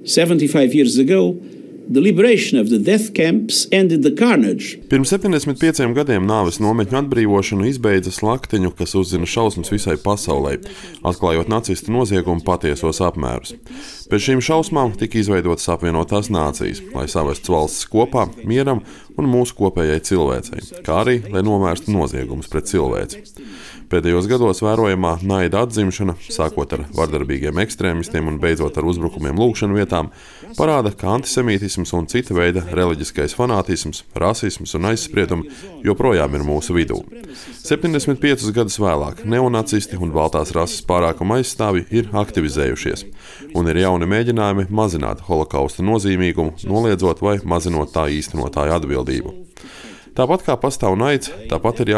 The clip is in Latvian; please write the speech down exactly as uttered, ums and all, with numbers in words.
seventy-five years ago, the liberation of the death camps ended the carnage. Pirms septiņdesmit pieciem gadiem nāves nometņu atbrīvošanu izbeidza slaktiņu, kas uzzina šausmas visai pasaulē, atklājot nacistu noziegumu patiesos apmērus. Pēc šīm šausmām tika izveidotas apvienotās nācijas, lai savestu valstis kopā mieram un mūsu kopējai cilvēcei, kā arī, lai novērstu noziegumus pret cilvēci. Pēdējos gados vērojamā naida atzimšana, sākot ar vardarbīgiem ekstrēmistiem un beidzot ar uzbrukumiem lūgšanu vietām, parāda, ka antisemītisms un cita veida reliģiskais fanātisms, rasisms un aizspriedumi joprojām ir mūsu vidū. septiņdesmit piecus gadus vēlāk neonacisti un baltās rases pārākuma aizstāvji ir aktivizējušies, un ir jauni mēģinājumi mazināt holokausta nozīmīgumu, noliedzot vai mazinot tā īstenotāju atbildību. Tāpat kā pastāv naids, tāpat ir